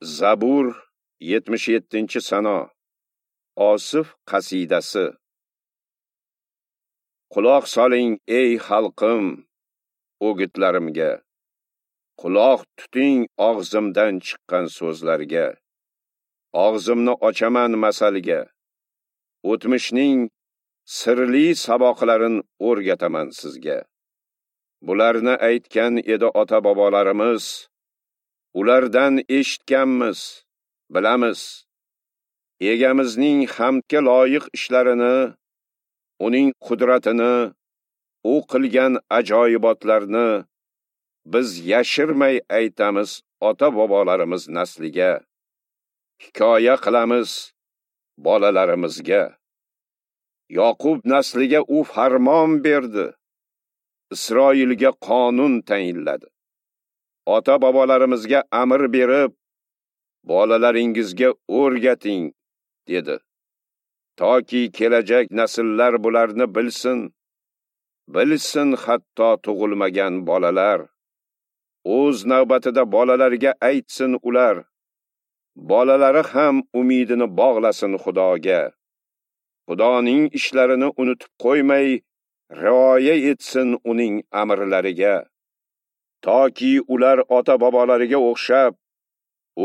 Zabur 77-sano. Osif qasidasi. Quloq soling ey xalqim o'gitlarimga. Quloq tuting og'zimdan chiqqan so'zlarga. Og'zimni ochaman masalga. O'tmishning sirli saboqlarini o'rgataman sizga. Bularni aytgan edi ota-bobolarimiz. Ulardan eshitganmiz, bilamiz. Egamizning hamdga loyiq ishlarini, uning qudratini, u qilgan ajoyibotlarni biz yashirmay aytamiz ota-bobolarimiz nasliga. Hikoya qilamiz bolalarimizga. Yoqub nasliga u farmon berdi. Isroilga qonun tayinladi. Ota-bobolarimizga amr berib, bolalaringizga o'rgating, dedi. Toki kelajak nasllar bularni bilsin, bilsin hatto tug'ilmagan bolalar. O'z navbatida bolalarga aytsin ular. Bolalari ham umidini bog'lasin Xudoga. Xudoning ishlarini unutib qo'ymay, rioya etsin uning amrlariga. Toki ular ota-bobolariga o'xshab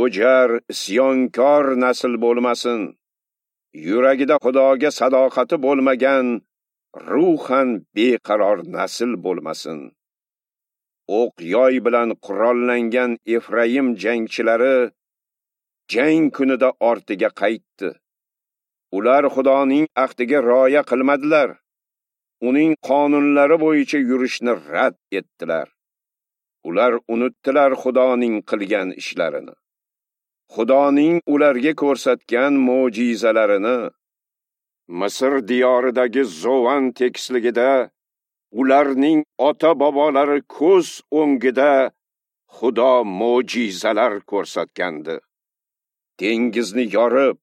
o'jar, isyonkor nasl bo'lmasin. Yuragida Xudoga sadoqati bo'lmagan, ruhan beqaror nasl bo'lmasin. O'q yoy bilan qurollangan Efraim jangchilari jang kunida ortiga qaytdi. Ular Xudoning ahdiga rioya qilmadilar. Uning qonunlari bo'yicha yurishni rad etdilar. Ular unutdilar Xudoning qilgan ishlarini. Xudoning ularga ko'rsatgan mo'jizalarini. Misr diyoridagi Zovan tekisligida ularning ota-bobolari ko'z o'ngida Xudo mo'jizalar ko'rsatgandi. Dengizni yorib,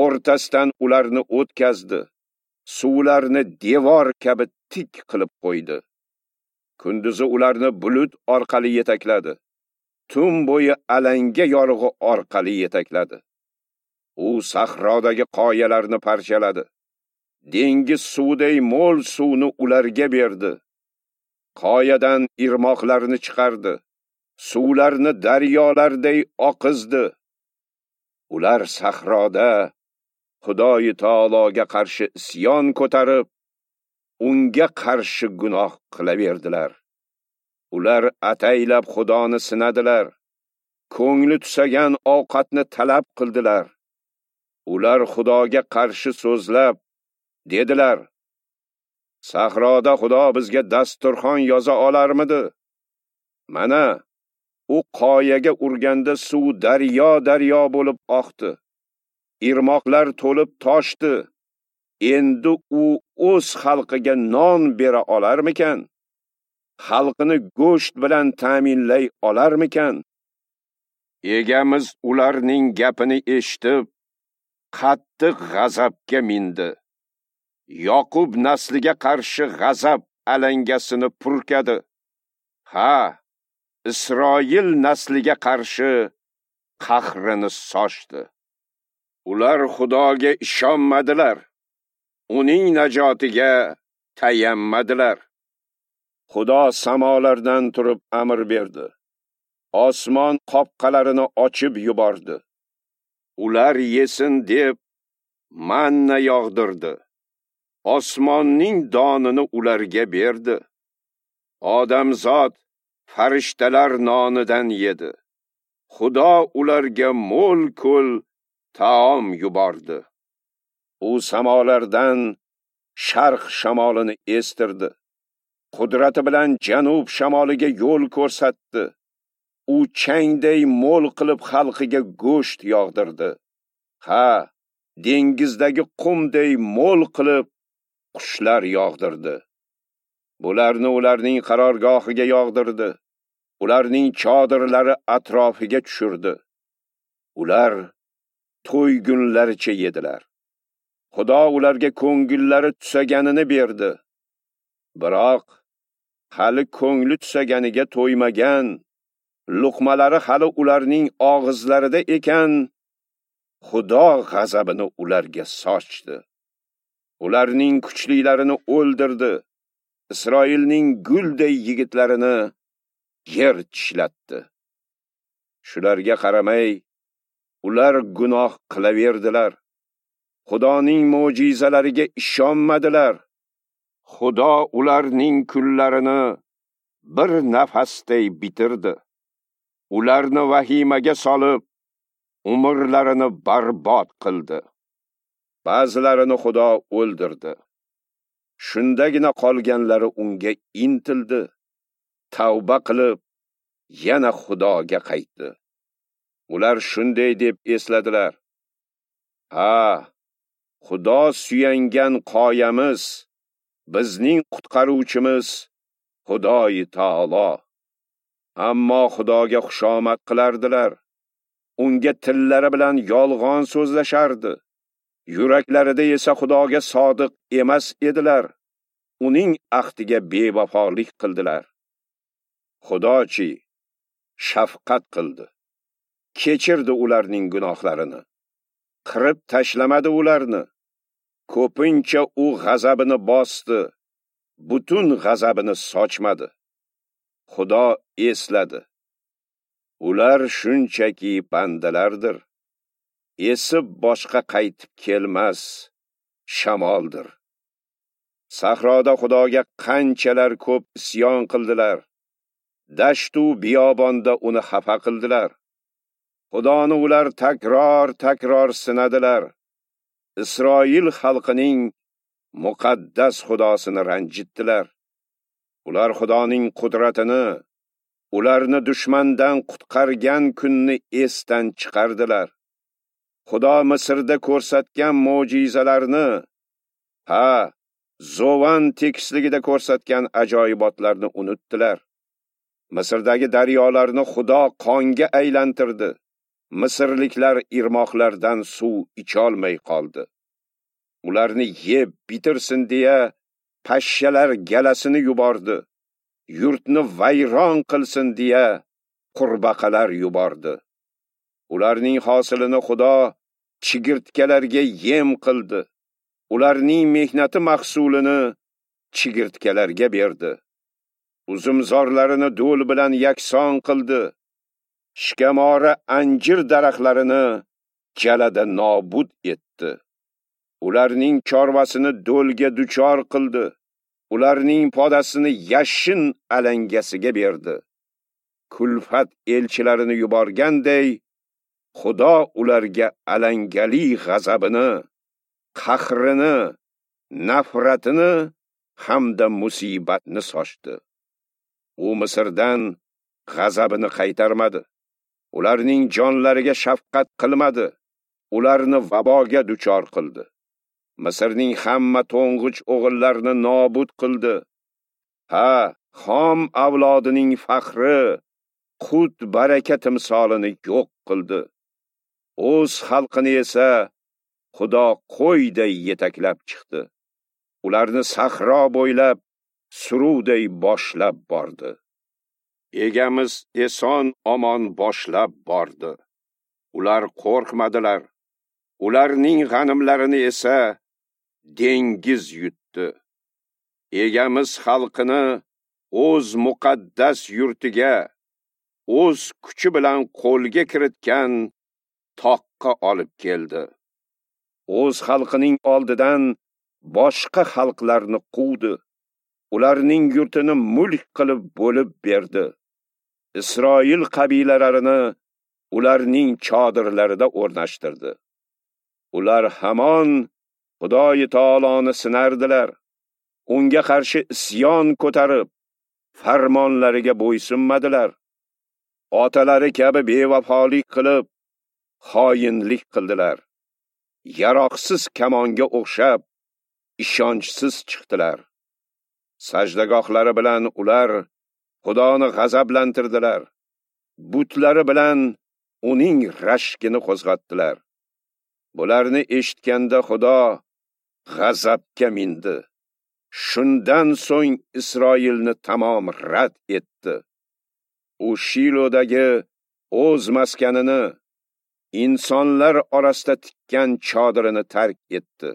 o'rtasidan ularni o'tkazdi. Suvlarni devor kabi tik qilib qo'ydi. Kunduzi ularni bulut orqali yetakladi. Tun bo'yi alanga yorug'i orqali yetakladi. U sahrodagi qoyalarni parchaladi. Dengiz suviday mo'l suvni ularga berdi. Qoyadan irmoqlarni chiqardi. Suvlarni daryolarday oqizdi. Ular sahroda Xudoyi taologa qarshi isyon ko'tarib, unga qarshi gunoh qilaverdilar. Ular ataylab Xudoni sinadilar. Ko'ngli tusagan ovqatni talab qildilar. Ular Xudoga qarshi so'zlab dedilar: Sahroda Xudo bizga dasturxon yoza olarmidi? Mana, u qoyaga urganda suv daryo-daryo bo'lib oqdi. Irmoqlar to'lib toshdi. Endi u o'z xalqiga non bera olarmikan? Xalqini go'sht bilan ta'minlay olarmikan? Egamiz ularning gapini eshitib, qattiq g'azabga mindi. Yoqub nasliga qarshi g'azab alangasini purkadi. Ha, Isroil nasliga qarshi qahrini sochdi. Ular Xudoga ishonmadilar. Uning najotiga tayanmadilar. Xudo samolardan turib amr berdi. Osmon qopqalarini ochib yubordi. Ular yesin deb manna yog'dirdi. Osmonning donini ularga berdi. Odamzod farishtalar nonidan yedi. Xudo ularga mo'l ko'l taom yubordi. U samolardan sharq shamolini estirdi. Qudrati bilan janub shamoliga yo'l ko'rsatdi. U changday mo'l qilib xalqiga go'sht yog'dirdi. Ha, dengizdagi qumday mo'l qilib qushlar yog'dirdi. Bularni ularning qarorgohiga yog'dirdi. Ularning chodirlari atrofiga tushirdi. Ular to'ygunlaricha yedilar. Xudo ularga ko'ngillari tusaganini berdi. Biroq hali ko'ngli tusaganiga to'ymagan, Luqmalari hali ularning og'izlarida ekan, Xudo g'azabini ularga sochdi. Ularning kuchlilarini o'ldirdi. Isroilning gulday yigitlarini yer tishlatdi. Shularga qaramay, ular gunoh qilaverdilar. Xudoning mo'jizalariga ishonmadilar. Xudo ularning kunlarini bir nafasday bitirdi. Ularni vahimaga solib, umrlarini barbod qildi. Ba'zilarini Xudo o'ldirdi. Shundagina qolganlari unga intildi, tavba qilib, yana Xudoga qaytdi. Ular shunday deb esladilar: Ha, Xudo suyangan qoyamiz, bizning qutqaruvchimiz Xudoyi taolo. Ammo Xudoga xushomad qilardilar. Unga tillari bilan yolg'on so'zlashardi. Yuraklarida esa Xudoga sodiq emas edilar. Uning ahdiga bevafolik qildilar. Xudochi shafqat qildi. Kechirdi ularning gunohlarini. Qirib tashlamadi ularni. Ko'pincha u g'azabini bosdi, butun g'azabini sochmadi. Xudo esladi. Ular shunchaki bandalardir. Esib boshqa qaytib kelmas shamoldir. Sahroda Xudoga qanchalar ko'p isyon qildilar. Dashtu biyobonda uni xafa qildilar. Xudoni ular takror-takror sinadilar. Isroil xalqining muqaddas Xudosini ranjitdilar. Ular Xudoning qudratini, ularni dushmandan qutqargan kunni esdan chiqardilar. Xudo Misrda ko'rsatgan mo'jizalarni, ha, Zovan tekisligida ko'rsatgan ajoyibotlarni unutdilar. Misrdagi daryolarni Xudo qonga aylantirdi. Misrliklar irmoqlardan suv icholmay qoldi. Ularni yeb bitirsin deya pashshalar galasini yubordi. Yurtni vayron qilsin deya qurbaqalar yubordi. Ularning hosilini Xudo chigirtkalarga yem qildi. Ularning mehnati mahsulini chigirtkalarga berdi. Uzumzorlarini do'l bilan yakson qildi. Shikamora anjir daraxtlarini jalada nobud etdi. Ularning chorvasini do'lga duchor qildi. Ularning podasini yashin alangasiga berdi. Kulfat elchilarini yuborganday, Xudo ularga alangali g'azabini, qahrini, nafratini hamda musibatni sochdi. U Misrdan g'azabini qaytarmadi. Ularning jonlariga shafqat qilmadi. Ularni vaboga duchor qildi. Misrning hamma to'ng'ich o'g'illarini nobud qildi. Ha, Xom avlodining faxri, qut baraka timsolini yo'q qildi. O'z xalqini esa Xudo qo'yday yetaklab chiqdi. Ularni sahro bo'ylab suruvday boshlab bordi. Egamiz eson omon boshlab bordi. Ular qo'rqmadilar. Ularning g'animlarini esa dengiz yutdi. Egamiz xalqini o'z muqaddas yurtiga, o'z kuchi bilan qo'lga kiritgan toqqa olib keldi. O'z xalqining oldidan boshqa xalqlarni quvdi. Ularning yurtini mulk qilib bo'lib berdi. Isroil qabilalarini ularning chodirlarida o'rnashtirdi. Ular hamon Xudoyi taoloni sinardilar. Unga qarshi isyon ko'tarib, farmonlariga bo'ysunmadilar. Otalari kabi bevafolik qilib, xoinlik qildilar. Yaroqsiz kamonga o'xshab, ishonchsiz chiqdilar. Sajdagohlari bilan ular Xudoni g'azablantirdilar. Butlari bilan uning rashkini qo'zg'atdilar. Bularni eshitganda Xudo g'azabga mindi. Shundan so'ng Isroilni tamom rad etdi. U Shilodagi o'z maskanini, insonlar orasida tikkan chodirini tark etdi.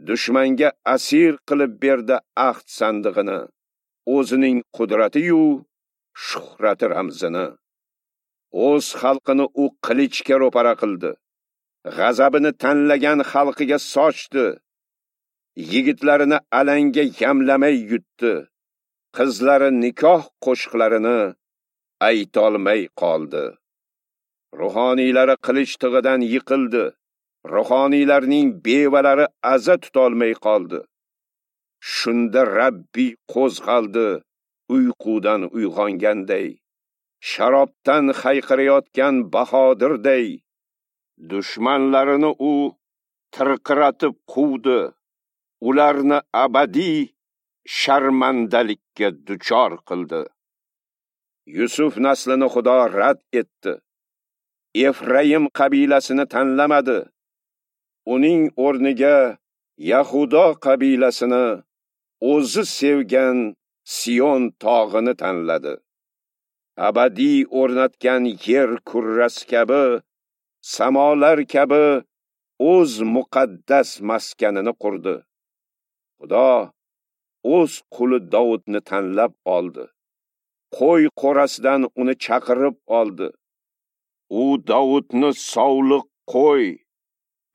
Dushmanga asir qilib berdi ahd sandig'ini, o'zining qudrati-yu shuhrati ramzini. O'z xalqini u qilichga ro'para qildi. G'azabini tanlagan xalqiga sochdi. Yigitlarini alanga yamlamay yutdi. Qizlari nikoh qo'shiqlarini aytolmay qoldi. Ruhoniylari qilich tig'idan yiqildi. Ruhoniylarning bevalari aza tutolmay qoldi. Shunda Rabbiy qo'zg'aldi, uyqudan uyg'onganday, sharobdan hayqirayotgan bahodirday. Dushmanlarini u tirqiratib quvdi, ularni abadiy sharmandalikka duchor qildi. Yusuf naslini Xudo rad etdi. Efraim qabilasini tanlamadi. Uning o'rniga Yahudo qabilasini, o'zi sevgan Sion tog'ini tanladi. Abadiy o'rnatgan yer kurrasi kabi, samolar kabi o'z muqaddas maskanini qurdi. Xudo o'z quli Davudni tanlab oldi. Qo'y qo'rasidan uni chaqirib oldi. U Davudni sovliq qo'y,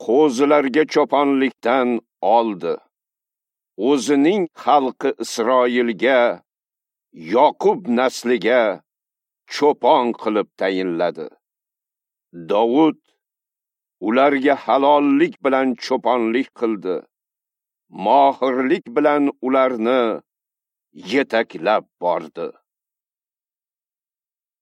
qo'zilarga cho'ponlikdan oldi. O'zining xalqi Isroilga, Yoqub nasliga cho'pon qilib tayinladi. Davud ularga halollik bilan cho'ponlik qildi. Mohirlik bilan ularni yetaklab bordi.